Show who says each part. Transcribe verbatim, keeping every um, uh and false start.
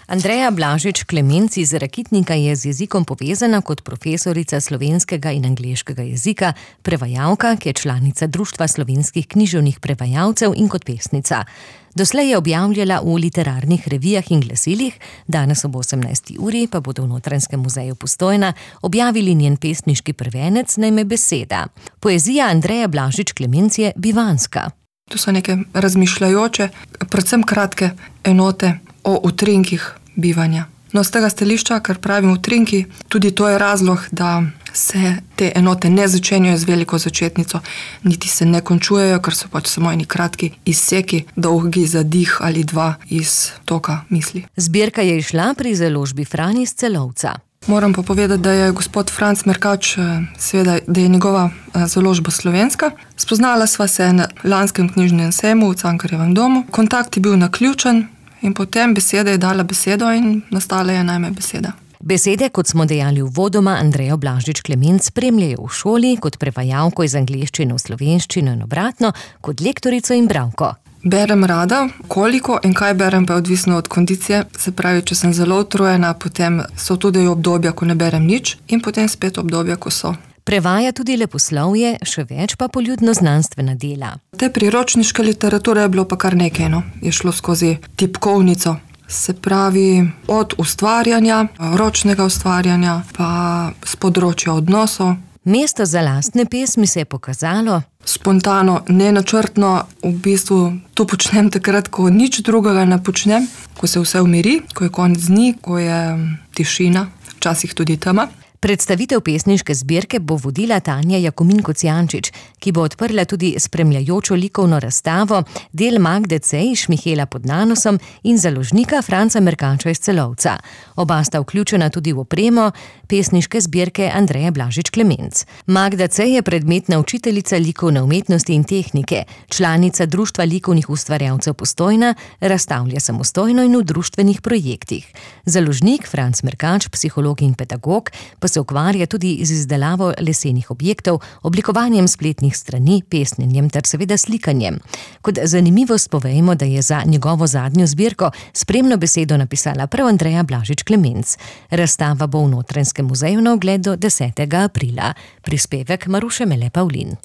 Speaker 1: Andreja Blažič Klemenc iz Rakitnika je z jezikom povezana kot profesorica slovenskega in angleškega jezika, prevajalka, ki je članica Društva slovenskih književnih prevajalcev in kot pesnica. Doslej je objavljala v literarnih revijah in glasilih, danes ob osemnajsti uri pa bodo v Notranjskem muzeju Postojna objavili njen pesniški prvenec na ime Beseda. Poezija Andreje Blažič Klemenc je bivanska.
Speaker 2: To so neke razmišljajoče, predvsem kratke enote o utrinkih bivanja. No, z tega stališča, kar pravim utrinki, tudi to je razlog, da se te enote ne začenjajo z veliko začetnico, niti se ne končujejo, ker so pač samo eni kratki izseki, dolgi zadih ali dva iz toka misli.
Speaker 1: Zbirka je izšla pri založbi Fran iz Celovca.
Speaker 2: Moram pa povedati, da je gospod Franc Merkač, seveda, da je njegova založba slovenska. Spoznala sva se na lanskem knjižnem sejmu v Cankarjevem domu. Kontakt je bil naključen in potem Beseda je dala besedo in nastala je na ime Beseda.
Speaker 1: Besede, kot smo dejali uvodoma, Andrejo Blažič Klemenc spremljajo v šoli kot prevajalko iz angleščine v slovenščino in obratno, kot lektorico in bralko.
Speaker 2: Berem rada, koliko in kaj berem pa je odvisno od kondicije. Se pravi, če sem zelo utrujena, potem so tudi obdobja, ko ne berem nič, in potem spet obdobja, ko so.
Speaker 1: Prevaja tudi leposlovje, še več pa poljudno znanstvena dela.
Speaker 2: Te priročniške literature je bilo pa kar nekaj, no. Je šlo skozi tipkovnico. Se pravi, od ustvarjanja, ročnega ustvarjanja, pa s področja odnosov.
Speaker 1: Mesto za lastne pesmi se je pokazalo
Speaker 2: spontano, nenačrtno, v bistvu to počnem takrat, ko nič drugega ne počnem, ko se vse umiri, ko je konec dni, ko je tišina, včasih tudi tema.
Speaker 1: Predstavitev pesniške zbirke bo vodila Tanja Jakomin Kocijančič, ki bo odprla tudi spremljajočo likovno razstavo, del Magde Cejš Mihela pod nanosom in založnika Franca Merkača iz Celovca. Oba sta vključena tudi v opremo pesniške zbirke Andreje Blažič Klemenc. Magda Cej je predmetna učiteljica likovne umetnosti in tehnike, članica Društva likovnih ustvarjalcev Postojna, razstavlja samostojno in v društvenih projektih. Založnik Franc Merkač, psiholog in pedagog, pa se ukvarja tudi z izdelavo lesenih objektov, oblikovanjem spletnih strani, pesnjenjem ter seveda slikanjem. Kot zanimivost povejmo, da je za njegovo zadnjo zbirko spremno besedo napisala prav Andreja Blažič Klemenc. Razstava bo v Notranjskem muzeju na ogled do desetega aprila. Prispevek Maruše Mele Pavlin.